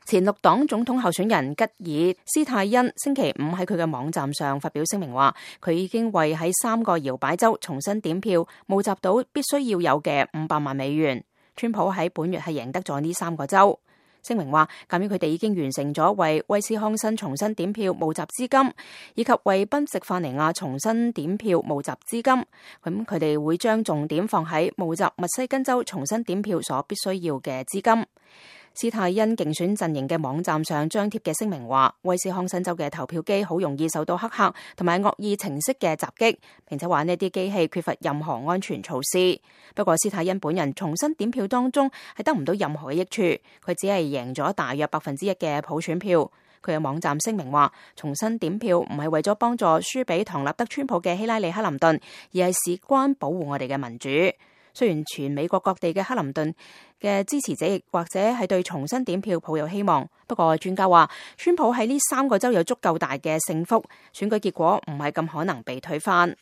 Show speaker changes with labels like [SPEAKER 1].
[SPEAKER 1] 前綠黨總統候選人吉爾斯泰恩星期五喺佢嘅網站上發表聲明話，佢已經為喺3個搖擺州重新點票募集到必須要有嘅500萬美元。川普喺本月係贏得咗呢3個州。聲明話，鑒於佢哋已經完成咗為威斯康辛重新點票募集資金，以及為賓夕法尼亞重新點票募集資金，咁佢哋會將重點放喺募集密西根州重新點票所必須要嘅資金。斯泰恩競選陣營嘅網站上張貼嘅聲明話，威斯康辛州嘅投票機好容易受到黑客同埋惡意程式嘅襲擊，並且話呢啲機器缺乏任何安全措施。不過斯泰恩本人重新點票當中係得唔到任何嘅益處，佢只係贏咗大約1%嘅普選票。佢嘅網站聲明話，重新點票唔係為咗幫助輸俾唐納德川普嘅希拉里克林頓，而係事關保護我哋嘅民主。雖然全美國各地嘅克林頓嘅支持者亦或者係對重新點票抱有希望，不過專家話，川普喺呢3個州有足夠大嘅勝幅，選舉結果唔係咁可能被推翻。